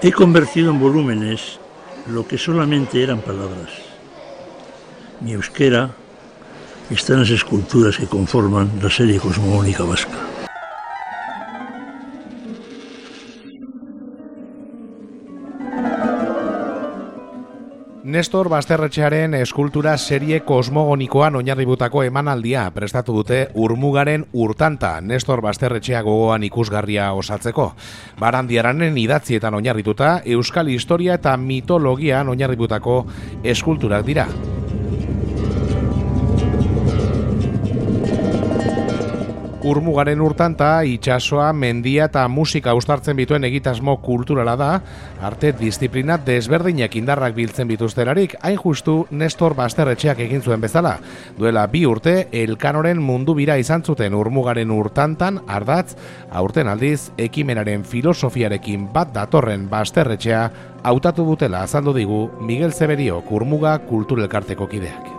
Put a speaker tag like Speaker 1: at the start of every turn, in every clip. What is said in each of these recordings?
Speaker 1: He convertido en volúmenes lo que solamente eran palabras. Mi euskera está en las esculturas que conforman la serie cosmogónica vasca.
Speaker 2: Nestor Basterretxearen eskultura serie kosmogonikoan oinarributako emanaldia prestatu dute Urmugaren urtanta Nestor Basterretxea gogoan ikusgarria osatzeko. Barandiaranen idatzietan oinarrituta, euskal historia eta mitologian oinarributako eskulturak dira. Urmugaren urtanta, itsasoa, mendia eta musika uztartzen bituen egitasmo kulturala da, arte disiplina desberdinak indarrak biltzen bituzterarik, hain justu Nestor Basterretxeak egin zuen bezala. Duela 2 urte, Elkanoren mundu bira izan zuten Urmugaren urtantan ardatz, aurten aldiz, ekimenaren filosofiarekin bat datorren Basterretxea hautatu dutela azaldu digu Miguel Zeberiok Urmuga kulturelkarteko kideak.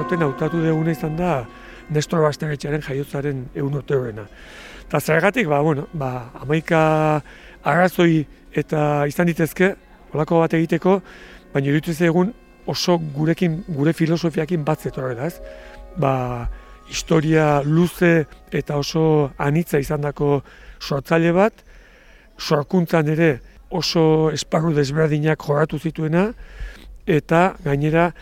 Speaker 3: Hautatu duguna izan da Nestor Basterretxearen jaiotzaren 100 urte horrena. Eta zergatik, 11 arrazoi eta izan ditezke, holako bat egiteko, baina iruditu egun oso gure filosofiakin bat zetorrela, ez? Historia luze eta oso anitza izandako sortzaile bat, sorkuntzan ere oso esparru desberdinak jorratu zituena, eta gainera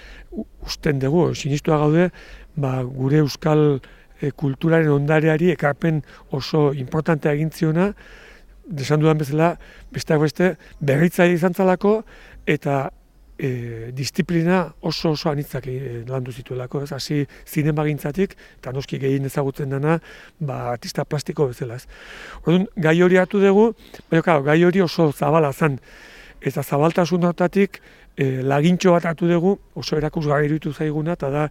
Speaker 3: usten dugu, sinistua gaude, gure euskal kulturaren ondareari ekarpen oso importantea egin ziona, desan dudan bezala, besteak beste, berritzaile izan zalako, eta disiplina oso anitzak landu zituelako, ez? Hasi zinemagintzatik, eta noski gehien ezagutzen dena, artista plastiko bezala, ez? Orduan, gai hori hartu dugu, baina gai hori oso zabala zen, eta zabaltasun hortatik lagintxo bat hartu dugu, oso erakusgarri iruditu zaiguna, eta da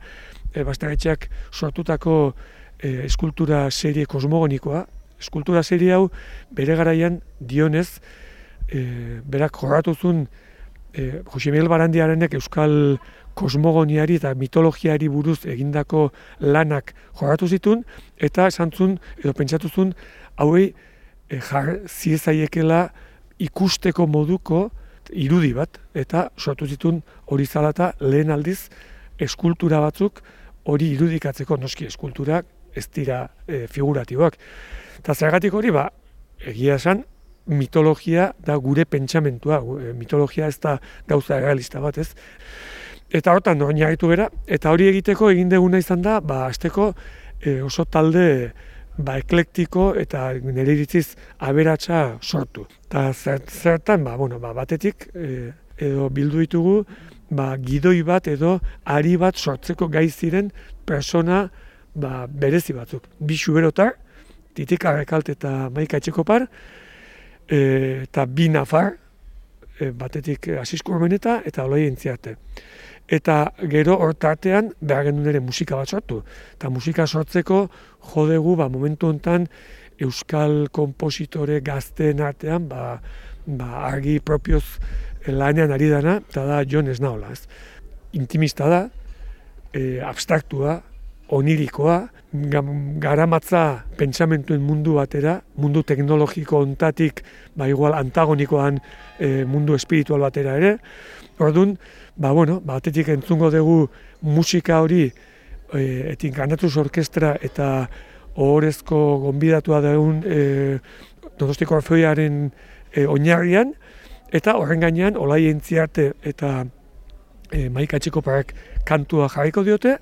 Speaker 3: Basterretxeak sortutako eskultura serie kosmogonikoa. Eskultura serie hau bere garaian dionez, berak jorratu zuen Jose Miguel Barandiaranek euskal kosmogoniari eta mitologiari buruz egindako lanak jorratu zituen, eta esan zuen, edo pentsatu zuen, hauei jar ziezaiekela ikusteko moduko irudi bat, eta sortu zituen hori zalata lehen aldiz eskultura batzuk hori irudikatzeko, noski eskulturak ez dira figuratiboak. Eta zergatik hori, egia esan, mitologia da gure pentsamentua, mitologia ez da gauza realista bat, ez? Eta hortan oinarritu gera, eta hori egiteko egin duguna izan da, hasteko oso talde eklektiko eta nire iritziz aberatsa sortu. Eta zertan, batetik edo bildu ditugu gidoi bat edo ari bat sortzeko gai ziren persona berezi batzuk. 2 xuberotar, Titik Arrekalt eta Maika Etxekopar, eta 2 nafar, batetik Asisko Urmeneta eta Olai Entziarte. Eta gero hortartean behar genuen ere musika bat sortu. Eta musika sortzeko jodegu momentu honetan euskal kompositore gazteen artean argi propioz lanean ari dana, eta da Jon Esnaola. Intimista da, abstraktua, onirikoa, garamatza pentsamentuen mundu batera, mundu teknologiko ontatik, igual antagonikoan mundu espiritual batera ere. Orduan, batetik entzungo dugu musika hori Encarnatus Orkestra eta ohorezko gonbidatua dugun Donostiko Orfeoiaren oinarrian, eta horren gainean Olai Entziarte eta Maika Etxekoparek kantua jarriko diote,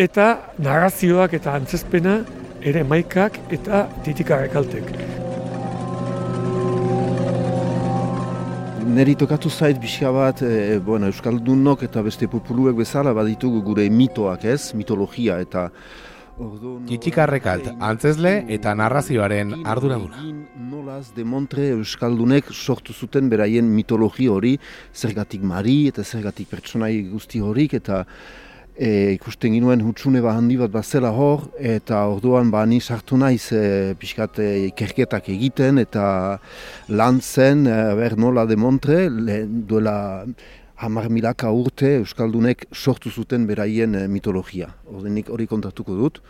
Speaker 3: eta narrazioak eta antzezpena ere Maikak eta Titik Arrekaltek.
Speaker 4: Neri tokatu zait pixka bat, euskaldunok eta beste populuek bezala baditugu gure mitoak, ez? Mitologia eta
Speaker 2: Titik Arrekalt, antzezle eta narrazioaren arduraduna.
Speaker 4: Nolaz demontre euskaldunek sortu zuten beraien mitologi hori, zergatik mari eta zergatik pertsonai guzti horik, eta ikusten ginuen hutsune handi bat bazela hor, eta orduan ni sartu naiz pixkat ikerketak egiten, eta lan zen nola demontre, duela 10.000 urte euskaldunek sortu zuten beraien mitologia. Nik hori kontatuko dut.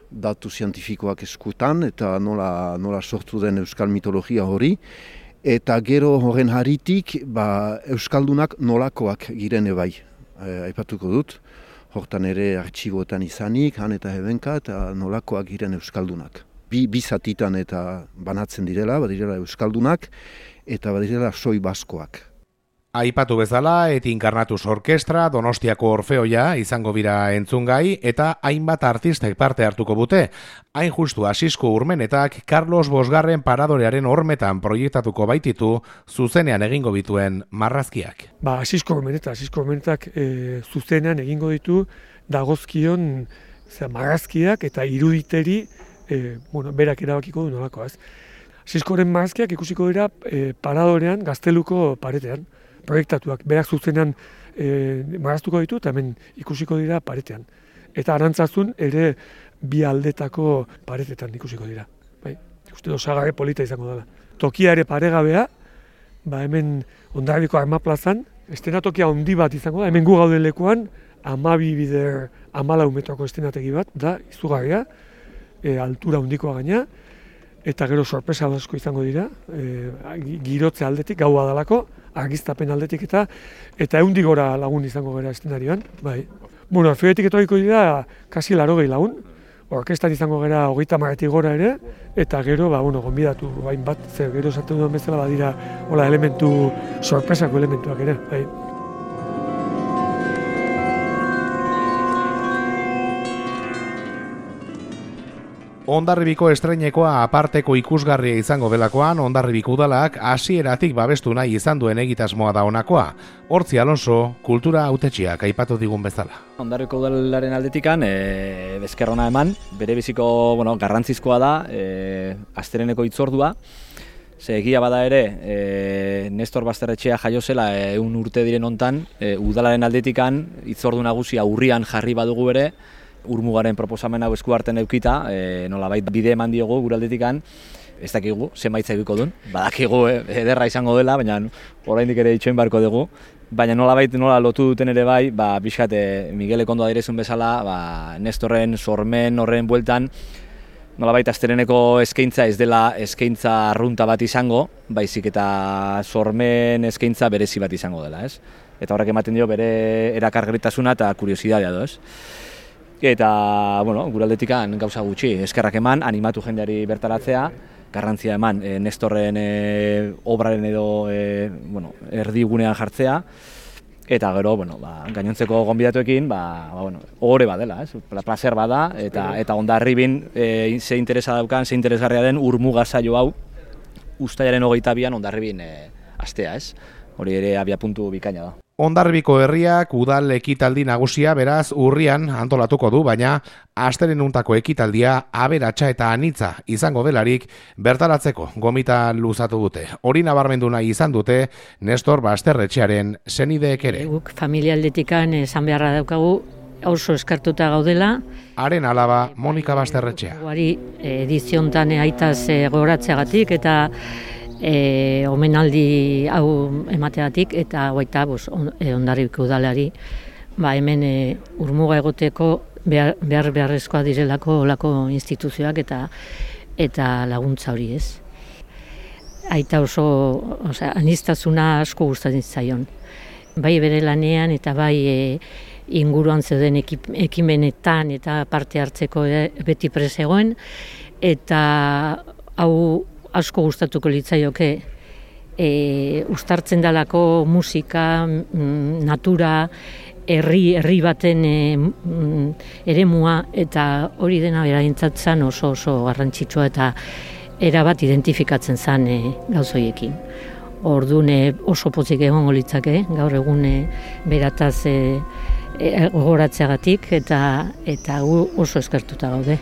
Speaker 4: datu zientifikoak eskutan eta nola sortu den euskal mitologia hori. Eta gero horren haritik euskaldunak nolakoak girene bai, aipatuko dut. Hortan ere artxiboetan izanik, han eta hebenka, eta nolakoak giren euskaldunak. Bi zatitan eta banatzen direla, badirela euskaldunak, eta badirela soi baskoak.
Speaker 2: Aipatu bezala, Inkarnatus Orkestra, Donostiako Orfeoia izango bira entzungai, eta hainbat artistek parte hartuko bute. Hain justu Asisko Urmenetak Carlos Bosgarren paradorearen hormetan proiektatuko baititu, zuzenean egingo bituen marrazkiak.
Speaker 3: Asisko Urmenetak zuzenean egingo ditu dagozkion marrazkiak eta iruditeri berak erabakiko du nolako. Asiskoren marrazkiak ikusiko dira paradorean Gazteluko paretean. Proiektatuak, berak zuzenean marraztuko ditu eta hemen ikusiko dira paretean. Eta Arantzazun ere bi aldetako paretetan ikusiko dira. Ikuste osagarri polita izango dela. Tokia ere paregabea, hemen Hondarribiko Armaplazan, estenatokia handi bat izango da, hemen gu gauden lekuan, 12 bider 14 metroko estenategi bat, da izugarria, altura handikoa gaina, eta gero sorpresa asko izango dira, girotze aldetik, gaua dalako, argiztapen aldetik eta 100 gora lagun izango gara estenarioan. Orfeoetik etorriko dira kasi 80 lagun, orkestan izango gara 30 gora ere, eta gero, gonbidatu bat, zer gero esaten duen bezala badira elementu, sorpresako elementuak ere.
Speaker 2: Hondarribiko estreinekoa aparteko ikusgarria izango delakoan, Hondarribiko udalak hasieratik babestu nahi izan duen egitasmoa da honakoa. Hortzi Alonso, kultura hautetxiak aipatu digun bezala.
Speaker 5: Hondarribiko udalaren aldetikan, bezkerrona eman, bere biziko garrantzizkoa da, astereneko hitzordua. Egia bada ere, Nestor Basterretxea jaio zela 100 urte diren hontan, udalaren aldetikan hitzordu nagusia urrian jarri badugu ere, Urmugaren proposamen hau esku hartzen eukita, nolabait bide eman diogu gure aldetikan, ez dakigu, zenbait egiko duen, badakigu ederra izango dela, baina oraindik ere itxoin barko dugu, baina nolabait nola lotu duten ere bai, pixkat Miguelek ondo adirezun bezala, Nestorren sormen horren bueltan, nolabait astereneko eskaintza ez dela eskaintza arrunta bat izango, baizik eta sormen eskaintza berezi bat izango dela, ez? Eta horrek ematen dio bere erakargarritasuna eta kuriosidadea do, ez? Eta, gure aldetikan gauza gutxi, eskerrak eman, animatu jendeari bertaratzea, garrantzia eman Nestorren obraren edo erdigunean jartzea, eta gero, gainontzeko gonbidatuekin, ohore badela, plazer bada, eta Hondarribin ze interesa daukan, ze interesgarria den Urmuga saio hau, uztailaren 22an Hondarribin astea, ez? Hori ere abiapuntu bikaina da.
Speaker 2: Hondarribiko herriak udal ekitaldi nagusia beraz urrian antolatuko du, baina astelenuntako ekitaldia aberatsa eta anitza izango delarik bertaratzeko gomita luzatu dute. Hori nabarmendu nahi izan dute Nestor Basterretxearen senideek ere.
Speaker 6: Guk familia aldetikan esan beharra daukagu oso eskartuta gaudela.
Speaker 2: Haren alaba Monika Basterretxea.
Speaker 6: Guari ediziontan aitaz goratzeagatik eta omenaldi hau emateatik eta baita Hondarribiko udalari hemen Urmuga egoteko beharrezkoa direlako olako instituzioak eta laguntza hori, ez. Aita oso aniztasuna asko gustatzen zaion. Bai bere lanean eta bai inguruan zeuden ekimenetan eta parte hartzeko beti presegoen eta hau asko gustatuko litzaioke uztartzen dalako musika, natura, herri baten eremua eta hori dena beraintzat zan oso garrantzitsua eta erabat identifikatzen zan gauzoiekin. Orduan oso pozik egongo litzake gaur egun berataz gogoratzeagatik eta gu oso eskertuta gaude.